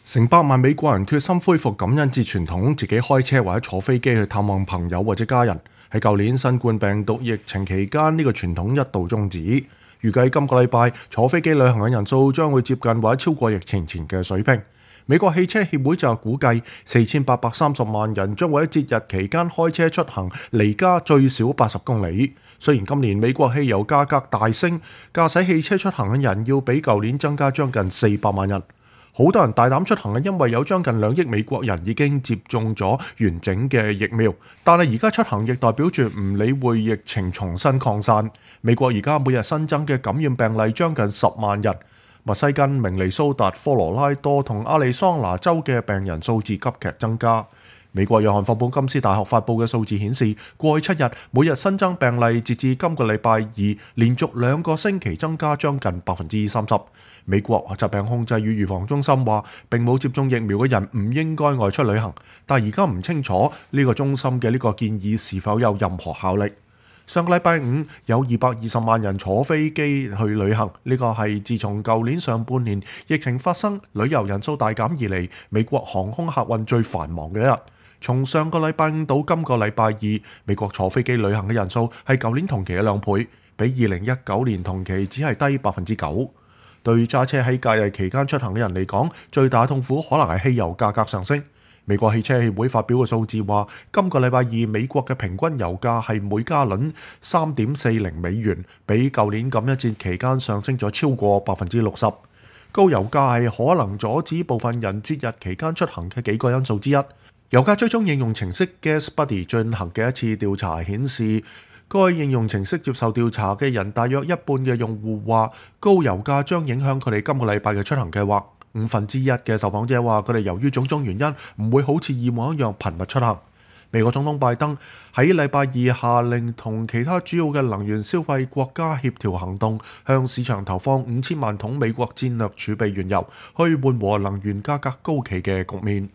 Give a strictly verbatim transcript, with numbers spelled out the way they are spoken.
成百萬美國人決心恢復感恩節傳統，自己開車或者坐飛機去探望朋友或者家人。喺舊年新冠病毒疫情期間，呢個傳統一度終止。預計今個禮拜坐飛機旅行嘅人數將會接近或者超過疫情前嘅水平。美國汽車協會就估計四千八百三十萬人將會喺節日期間開車出行，離家最少八十公里。雖然今年美國汽油價格大升，駕駛汽車出行嘅人要比舊年增加將近四百萬人。好多人大膽出行係因為有將近兩億美國人已經接種咗完整嘅疫苗，但係而家出行亦代表住唔理會疫情重新擴散。美國而家每日新增嘅感染病例將近十萬人，密西根、明尼蘇達、科羅拉多同亞利桑那州嘅病人數字急劇增加。美國約翰霍普金斯大學發布嘅數字顯示，過去七日每日新增病例截至今個禮拜二，連續兩個星期增加將近百分之三十。美國疾病控制與預防中心話，並冇接種疫苗嘅人唔應該外出旅行，但而家唔清楚呢個中心嘅呢個建議是否有任何效力。上個禮拜五有二百二十萬人坐飛機去旅行，呢個係自從舊年上半年疫情發生、旅遊人數大減以嚟，美國航空客運最繁忙嘅一日。從上個禮拜五到今個禮拜二，美國坐飛機旅行嘅人數係舊年同期嘅兩倍，比二零一九年同期只係低百分之九。對揸車喺假日期間出行嘅人嚟講，最大痛苦可能係汽油價格上升。美國汽車協會發表嘅數字話，今個禮拜二美國嘅平均油價係每加侖三點四零美元，比舊年感恩節期間上升咗超過百分之六十。高油價係可能阻止部分人節日期間出行嘅幾個因素之一。油價追蹤應用程式 GasBuddy 進行嘅一次調查顯示，該應用程式接受調查嘅人大約一半嘅用戶話，高油價將影響佢哋今個禮拜嘅出行計劃。五分之一嘅受訪者話，佢哋由於種種原因唔會好似以往一樣頻密出行。美國總統拜登喺禮拜二下令同其他主要嘅能源消費國家協調行動，向市場投放五千萬桶美國戰略儲備原油，去緩和能源價格高企嘅局面。